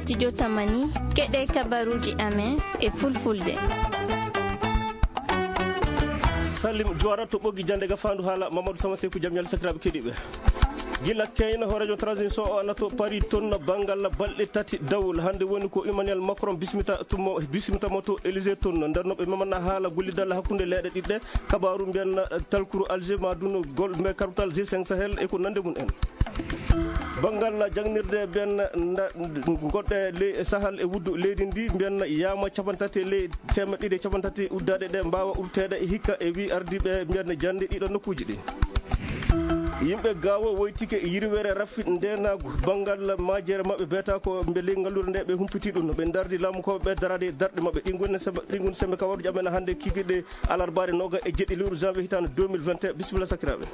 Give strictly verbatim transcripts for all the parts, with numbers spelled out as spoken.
Studio Tamani, keɗe kabaruuji amen e fulfulde. Salim Juwara to ɓoggi jannde ga faandu haala Mamadou Sama Seku, jam ñalle sakiraaɓe keɗiiɓe. Gila keyna hooreejo transition o ana to Paris toon, banngal balɗe tati dawol. Hannde woni ko Emmanuel Macron bismita tummo, bismita mo to Élysée toon. Nder no ɓe memana haala gollidal hakkunde leeɗe ɗiɗɗe, kabaaru mbiyan talkuru Alger ma duno gol mbe karbutal G cinq Sahel e ko nande mum en. Banngal jangnirde ben nda-, goɗɗe ley Sahel e wuddu leydi ndi mbiyan yaama capantati ley teemeɗɗe ɗiɗi e capantati uddaaɗe ɗe mbaawa uddeteede hikka e wi ardiiɓe mbiyan jannde ɗiɗo nokkuuji ɗi. Yimɓe Gaawo woytike yirwere raffi ndeenaagu banngal majere maɓɓe beeta ko mbe ley ngalluure nde ɓe humpiti ɗum. Ɓe ndardi laamu ko ɓe daraade e darɗe maɓɓe. Ɗi ngoni sembe, ɗi ngoni sembe kabaruuji amen hannde kikiɗe alarbaare nooga e jeɗɗi lewru janvier hitaande deux mille vingt et un. Bisimilla sakiraaɓe.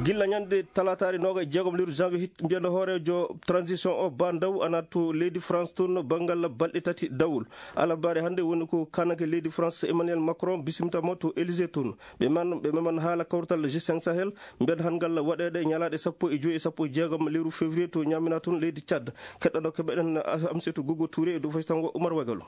Gilla ñande talaataare nooga e jeegom lewru janvier hit-, mbiyanɗo hooreejo transition o Ba Ndaw ana to leydi France toon banngal balɗe tati dawol. Alarbaare hannde woni ko kaananke leydi France Emmanuel Macron bisimta mo to Élysée toon. Ɓe man, ɓe meman haala kawtal G cinq Sahel, mbiyan han ngal waɗeede ñalaaɗe sappo e joy e sappo e jeegom lewru février to Ñamina toon leydi Tchad. Keɗɗano keɓeɗen Amsetu Gogo Touré e dow fasitango Oumar Wagalo.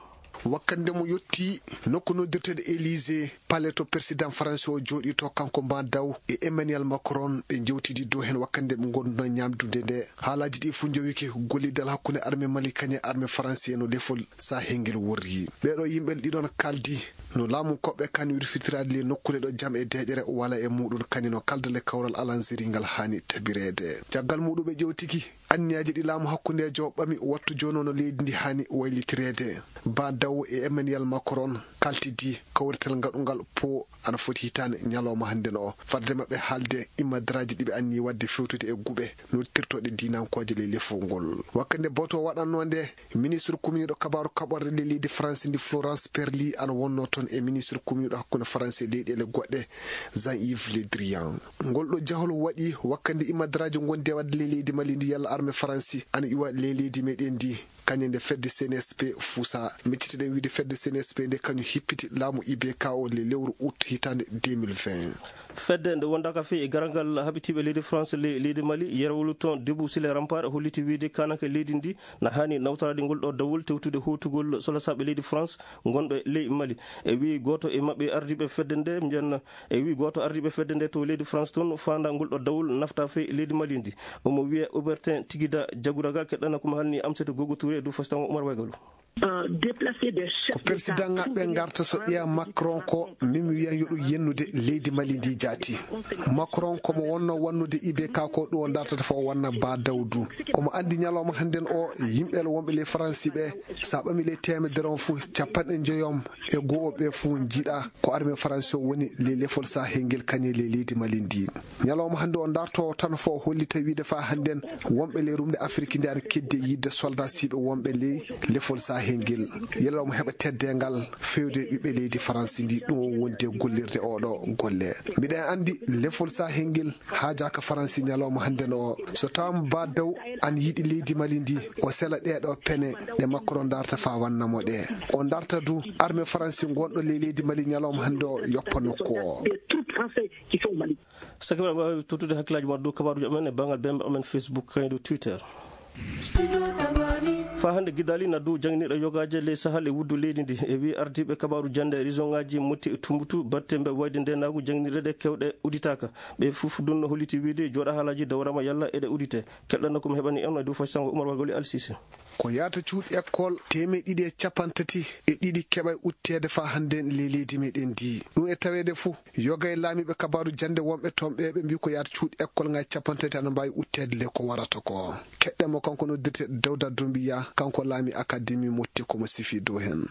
Wakkande mo yotti nokku noddirteeɗo Élysée, palais to président France o jooɗi to, kanko Ba Ndaw e Emmanuel Macron, ɓe jewtidi dow hen wakkande ɓe ngonduna ñamdude nde. Haalaaji ɗi fof njowike gollidal hakkunde armée Mali kañe armée France e no lefol Sahel ngel worri. Ɓeeɗo yimɓe ɗiɗon kaldi no laamu koɓɓe kan wirfitiraade le nokkuure ɗo jam e deeƴere wala e muɗum kañe no kalda le kawral alanzeri ngal haani tabireede. Caggal muɗum ɓe ƴewtiki anniyaaji ɗi laamu hakkundeejo ɓami wattu jooni no leydi ndi haani waylitireede. Ba Ndaw e Emmanuel Macron kaltidi kawrital ngaɗungal po ana foti hitaande ñalawma hannde no o. Fadde maɓɓe haalde immadaraaji ɗi ɓe anni waɗde fewtude e guɓe noddirtooɗe diinankooje ley lefol ngol. Wakkande boto waɗanno nde, ministre communiɗo kabaaru kaɓorɗe ley leydi France ndi Florence Parly ana wonno toon e ministre communiɗo hakkunde France e leyɗeele goɗɗe Jean-Yves Le Drian. Ngol ɗo jahol waɗi wakkande immadaraaji ngonde waɗde ley leydi Mali ndi yalla armée France ana iwa ley leydi meɗen ndi. Kañum nde fedde C N S P fusa. Miccitiɗen wiide fedde C N S P nde kañum hippiti laamu I B K o le lewru août hitaande deux mille vingt. Fedde nde wondaaka fii e garal ngal haɓitiiɓe leydi France le-, leydi Mali, yerwolu toon Debout sur les remparts holliti wiide kaananke leydi ndi na haani nawtoraade ngol ɗo dawol tewtude hootugol solasaaɓe leydi France ngonɓe ley Mali. E wii gooto e maɓɓe ardiiɓe fedde nde, mbiyan, e wii gooto ardiiɓe fedde nde to leydi France toon faanda ngol ɗo dawol nafta fii leydi Mali ndi. Omo wiya Hubertin Tigida Jagouraga, keɗɗana ko mo halni Amsatou Gogo Touré e dow fasitango Oumar Wagalo. Ko président ŋaɓɓe ngarta so ƴeewa Macron ko min mi wiyan yo ɗum yennude leydi Mali ndi jaati. Macron ko mo wonno wannude I B K ko ɗum o dartata fof o wanna Ba Dawdu. Omo anndi ñalawma hannden o yimɓe wonɓe ley Faransi ɓe, so a ɓami ley teemedere on fof, capanɗe njoyom e goo o ɓe fof njiɗa ko armée Faransi o woni ley lefol Sahel ngel kañe ley leydi Mali ndi. Ñalawma hannde o darto tan fof o hollita wiide faa hannden wonɓe ley rumde Afirki nde ana keddi e yiɗde soldat siɓe wonɓe ley lefol Sahel ngel. Yalla omo heɓa teddeengal feewde ɓiɓɓe leydi Faransi ndi, ɗum o wondi e gollirde oɗo golle. Mbiɗen anndi lefol Sahel ngel haajaaka Faransi ñalawma hannden o. So tawaama Ba Daw ana yiɗi leydi Mali ndi, o sela ɗee ɗo pene ɗe Macron darta faa wanna mo ɗe. O darta du armée Faransi ngonɗo ley leydi Mali ñalawma hannde o yoppa nokku o. Sakiraaɓe, mbaawi tottude hakkillaaji mon dow kabaaruuji amen e banngal bembe amen Facebook, kañum dow Twitter. Faa hannde Gidali na dow jannginirɗe yogaaje ley Sahel e wuddu leydi ndi. E wii ardiiɓe kabaaru jannde e région ŋaaji Motti e Tumbutu, batte mbe wayde ndeenaagu jannginirɗe ɗe kewɗe udditaaka. Ɓe fof dunno holliti wiide jooɗa haalaaji dawrama yalla eɗe uddite. Keɗɗanno ko mi heɓani en e dow fasitango Oumar Wagoli Alsise. Ko yahata cuuɗi école teemeɗɗe ɗiɗi e capanɗe tati e ɗiɗi keɓay uddeteede faa hannden ley leydi meɗen ndi. Ɗum e taweede fof, yoga e laamiiɓe kabaaru jannde wonɓe toon ɓe, ɓe mbii ko yahata cuuɗi école ŋaaji capanɗe tati ana mbaawi uddeteede le ko warata ko. Keɗɗen mo kanko noddirte Dawda Dumbiya, kanko laami Akademi Motti ko mo sifi dow heen.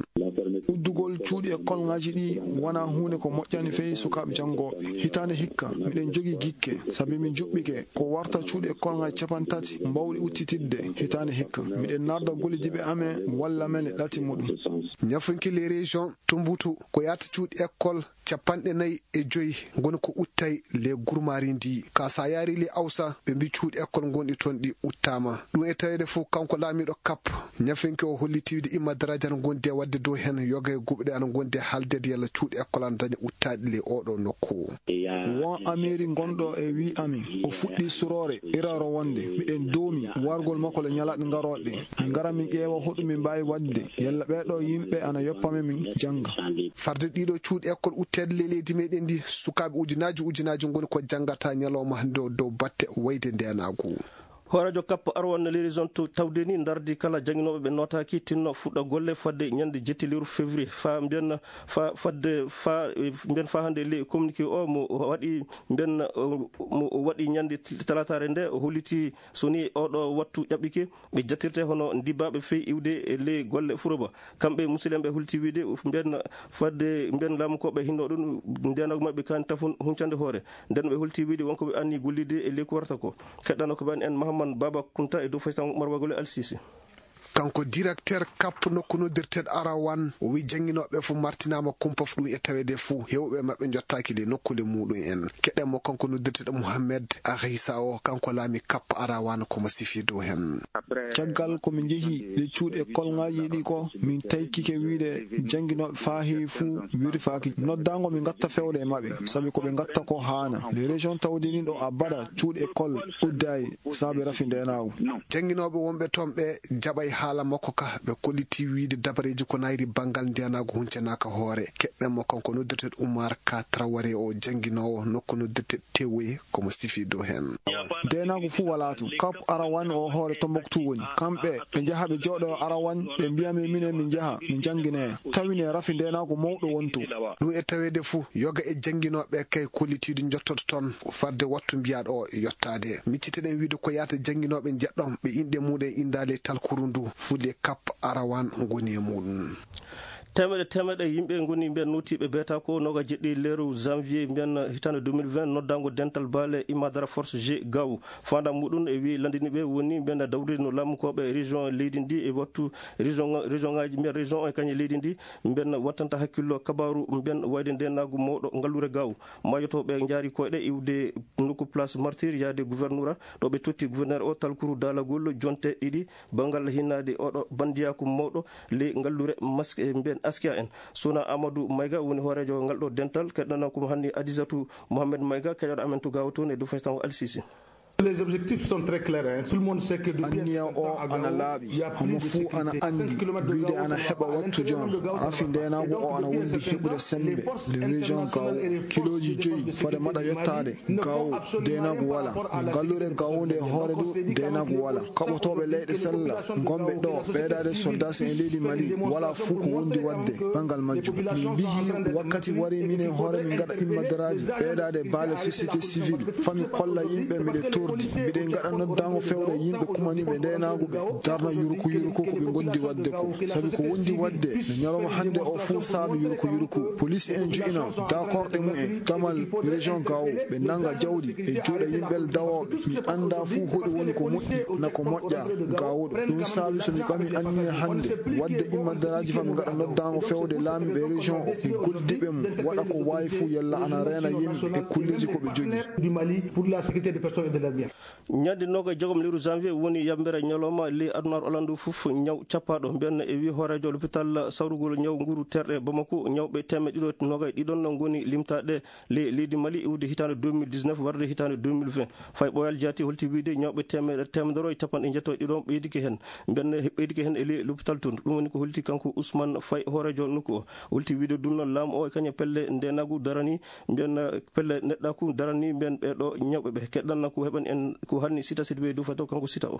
Uddugol cuuɗi école ŋaaji ɗi wonaa huunde ko moƴƴani fey sukaaɓe janngooɓe. Hitaande hikka, miɗen jogii gikke, sabi min njuɓɓike ko warta cuuɗi école ŋaaji capanɗe tati mbaawɗi udditidde hitaande hikka. Miɗen narda gollidiiɓe amen walla men e ɗati muɗum. Ñafunki les régions Tumbutu ko yahata cuuɗi école capanɗe nayi e joy ngoni ko udditay ley gurmaari ndi. Ka so a yahrii ley Awsa, ɓe mbii cuuɗi école ngonɗi toon ɗi udditaama. Ɗum e taweede fof, kanko laamiiɗo Kap, ñafunki o holliti wiide immadaraaji ana ngondi e waɗde dow heen Yoga e guɓɗe ana ngondi e haaldeede yalla cuuɗi ekkol ana daña uttaade ley ooɗoo nokku. Won ameeri ngonɗo e wii amin, o fuɗɗii suroore, iraaro wonde, miɗen doomi wargol makko le ñalaaɗe ngarooɗe ɗe. Min ngara min ƴeewa hoɗum min mbaawi waɗde, yalla ɓee ɗoo yimɓe ana yoppa min, min jannga. Farde ɗiɗo cuuɗi ekkol utteede ley leydi meɗen ndi, sukaaɓe ujunaaji ujunaaji ngoni ko janngata ñalawma hannde o dow batte wayde ndeenaagu. Hooreejo Cap Arwan Lérison to tawde ni ndardi kala jannginooɓe ɓe nootaaki tinno fuɗɗa golle fadde ñande jetti lewru février. Fa mbiyen fa fadde fa mbiyen fa hannde le communiqué o mo waɗi mbiyen mo waɗi ñande talataare nde, o holliti so ni oɗo wattu ƴaɓɓike, ɓe jattirte hono ndibbaɓe fey iwde e ley golle furoba. Kamɓe musidɓe ɓe hulti wiide mbiyen fadde mbiyen laamu ko ɓe hinno ɗum ndeenagu maɓɓe kan tafun huncande hoore. Nden ɓe hulti wiide wonko ɓe anni gollide e ley ko warata ko. Keɗɗano ko ɓen en Mahamman Baba Kunta e dow faysan Umar Bagole Alsisi. Kanko directeur Cap nokku noddirteɗo Arawan, o wi jannginooɓe fof martinaama kumpa fof ɗum e taweede fof heewɓe maɓɓe njottaaki le nokkuule muɗum en. Keɗen mo kanko noddirteɗo Mohamed Akhisa o, kanko laami Cap Arawan komo sifi dow hen. Caggal ko min njehi ɗe cuuɗi e kolŋaaji ɗi ko min taykike wiide jannginooɓe faa heewi fuu wirfaaki. Noddaango min ngatta fewde e maɓɓe, sabi ko ɓe ngatta ko haana. Les régions tawde ni ɗo a baɗa cuuɗi e kol uddaay saabe rafi ndeenaagu. Jannginooɓe wonɓe toon ɓe jaɓay haala makko ka, ɓe kolliti wiide dabareeji ko nayri banngal ndeenaagu huncanaaka hoore. Keɗɗen mo kanko noddirteɗo Umar Ka Traoré o jannginoowo nokku noddirteɗo Tewoye komo sifi dow heen. Ndeenaagu fuu walaa toon. Kap Arawan o hoore Tombouctou woni. Kamɓe ɓe njaha ɓe jooɗo Arawan ɓe mbiya min minen min njaha min njannginee. Tawine rafi ndeenaagu mawɗo wonto. Ɗum e taweede fuu yoga e jannginooɓe kay kollitiiɗo njottoto toon farde wattu mbiyaaɗo o yottaade. Micciteɗen wiide ko yaata jannginooɓe njeɗɗon ɓe inɗe muɗum en inndaali e talkuru ndu fuu le Kap Arawan ngoni e muɗum. Teemeɗe teemeɗe yimɓe ngoni mbiyen nootiiɓe beeta ko nooga jeɗɗi leeru janvier mbiyen hitaande deux mille vingt noddaango dental baale Imma Dara Force G Gaw. Faandaare muɗum e wi'i lanndiniiɓe woni mbiyen dawrude no laamukooɓe région leydi ndi e wattu région, région ŋaaji mbiyen région o e kañe leydi ndi mbiyen wattanta hakkillo kabaaru mbiyen wayde ndeenaagu mawɗo ngalluure Gaw. Maayotooɓe njaari koyɗe iwde nokku place martyr yaade gouverneur ɗo ɓe totti gouverneur o talkuru daalagol jonte ɗiɗi. Banngal hinnaade oɗo banndiyaaku mawɗo ley ngalluure mask e mbiyen Askia en. Suna Amadou Mayga woni hooreejo ngal ɗo dental, keɗɗanoo ko mo hanni Adisatu Mohamed Mayga, keɗoɗo amen to Gaawo toon e dow faysango Alsisi. Les objectifs sont très clairs, hein. Tout le monde sait que depuis un certain temps à Gao, il y a plus de sécurité. Cinq kilomètres de Gao, c'est vraiment le Gao, ça va pas. Anniya o ana laaɓi, homo fuu ana anndi, wiide ana heɓa wattu jam. Rafi ndeenaagu o ana wondi heɓude semmbe. Les régions Gao, kilooji joyi fade maɗa yottaade. Gawo, ndeenaagu walaa. Ngalluure Gawo nde hoore du, ndeenaagu walaa. Kaɓotooɓe leyɗe sella ngonɓe ɗo, ɓeydaade soldaas e leydi Mali, walaa fuu ko wondi waɗde banngal majjum. Min mbiyi wakkati wari minen hoore min ngaɗa immadaraaji, ɓeydaade baale société civile, fami kolla yimɓe miɗe tordi. Miɗen ngaɗa noddaango fewɗo yimɓe kumaniiɓe ndeenaagu ɓe darna yuruku yuruku ko ɓe ngondi waɗde ko. Sabi ko wondi waɗde no ñalawma hannde o fuu saabi yuruku yuruku. Police en njo'ina dakorɗe mumen damal région Gao, ɓe nannga jawdi e juuɗe yimɓe dawooɓe. Mi anndaa fuu hoɗum woni ko moƴƴi na ko moƴƴa Gawoɗo. Ɗum saabi so mi ɓami anniya hannde waɗde immadaraaji fa mi ngaɗa noddaango fewde laamiiɓe région o e gollidiiɓe mum waɗa ko waawi fuu yalla ana reena yimɓe e kulleeji ko ɓe jogii. Du Mali pour la sécurité des personnes et de leurs biens. Ñande noogay jogom lewru janvier woni yambere ñalawma ley adunaaru alandu fof ñaw cappaaɗo. Mbiyen e wi hooreejo lopital sawrugol ñaw nguru terɗe Bamako, ñawɓe teemeɗɗe ɗiɗo noogay ɗiɗon ngoni limtaaɗe ley leydi Mali iwde hitaande deux mille dix-neuf warde hitaande deux mille vingt. Fay ɓooyal jaati holti wiide ñawɓe teemeɗe teemedere e capanɗe njeeto e ɗiɗon ɓeydike heen. Mbiyen ɓeydike heen e ley lopital toon. Ɗum woni ko holti kanko Ousmane Fay hooreejo nokku o. Holti wiide ɗum noon laamu o e kañum pelle ndeenaagu darani mbiyen pelle neɗɗaaku darani mbiyen ɓee ɗo ñawɓe ɓe. Keɗɗan ko heɓan en ko hanni Sita Sidibé Diouf to kanko Sita o.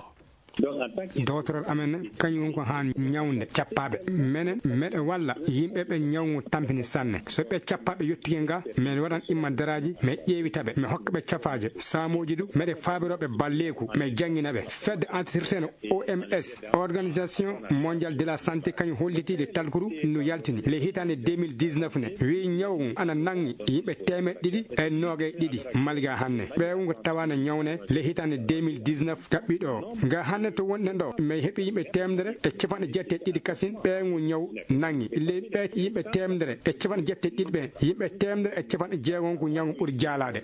Dowtoral amen kañum woni ko haan ñawnde cappaaɓe. Menen meɗen walla yimɓe ɓe ñawngu tampini sanne. So ɓe cappaaɓe yottike nga, men waɗan immadaraaji, men ƴeewita ɓe, men hokka ɓe cafaaje, saamooji du, meɗen faabiroo ɓe balleeku, men janngina ɓe. Fedde entreprise O M S, Organisation Mondiale de la Santé, kañum holliti le talkuru no yaltini le hitaande deux mille dix-neuf ne. Wi ñaw ngu ana nangi yimɓe teemeɗɗe ɗiɗi e noogay ɗiɗi malga hanne. Ɓeewu ngu tawaana ñawne le hitaande deux mille dix-neuf ɗaɓɓiɗo o. Nga hanne to wonɗen ɗo, men heɓi yimɓe teemedere e capanɗe jeetati e ɗiɗi kasin ɓeewu ngu ñaw nangi. Le ɓe yimɓe teemedere e capanɗe jeetati e ɗiɗi ɓe, yimɓe teemedere e capanɗe jeegon ko ñaw ngu ɓuri jaalaade.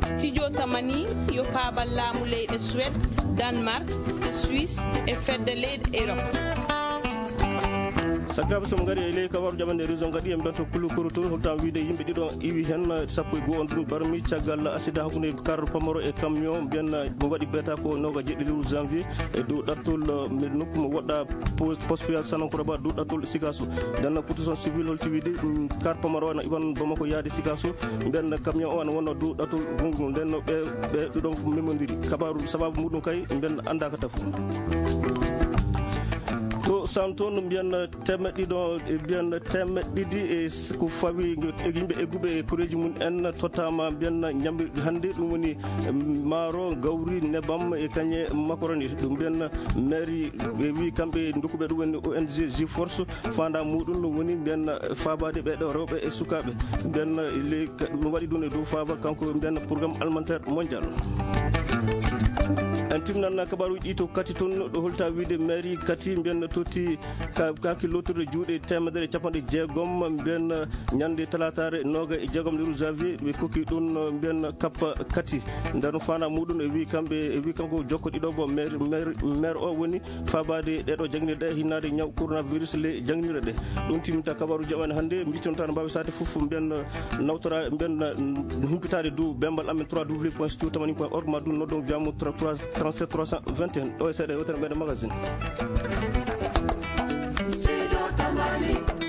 Studio Tamani yo paabal laamu leyɗe Suède, Danemark, Suisse e fedde leyɗe Europe. Sakiraaɓe, so min ngari e ley kabaru jaɓande région, kadi en mbiyat to Kulukuru toon, holto wiide yimɓe ɗiɗo iwi heen, sappo e goo on ɗum barmi caggal accident hakkunde car pamaro e camion, mbiyen ɗum waɗi beeta ko noogaas e jeɗɗi lewru janvier e dow ɗattol, eh, nokku mo woɗɗa po-, poste péage Sanankuraba dow ɗattol Sikaso. Nden protection civile holti wiide, mm, car pamaro na iwan Bamako yaade Sikaso, mbiyen camion o ana wonno dow ɗattol gonngol, nden no ɓe, ɓe ɗiɗon fof memondiri. Kabaru sababu muɗum kay, mbiyen anndaaka tafu. To Sam toon, mbiyen temeɗɗe ɗiɗo, e mbiyen temeɗɗe ɗiɗi e s-, ko fawi e yimɓe egguɓe e koreeji mum en tottaama mbiyen ñamri hannde, ɗum woni, em, maaro, gawri, nebam e kañe macaroni. Ɗum mbiyen mairie ɓe wi kamɓe ndokkuɓe ɗum woni O N G G Force, faanda muɗum ɗum woni mbiyen faabaade ɓe ɗo rewɓe e sukaaɓe. Mbiyen le-, ɗum waɗi ɗum e dow faaba kanko mbiyen programme alimentaire mondial. En timnan kabaruuji ɗi to Kati toon, ɗo holta wiide mairie Kati mbiyen totti ka-, kaaki lootirde juuɗe teemedere e capanɗe jeegom, mbiyen ñande talaataare nooga e jeegom lewru janvier, ɓe kokki ɗum mbiyen kappa Kati. Nder no faanda muɗum e wi kamɓe, e wi kanko jokko ɗiɗo bo maire, maire, maire o woni faabaade ɗeɗo jaŋnirɗe, hinnaade ñaw coronavirus le jaŋnirɗe. Ɗum timminta kabaruuji amen hannde, mbitonta no mbaawi saate fof mbiyen nawtora, mbiyen humpitaade dow bembal amen trois W point studio tamani point org, ma ɗum noddon via mo trente-sept trois cent vingt et un. Ɗo e seeɗa yewtere meɗen magazine. Studio Tamani.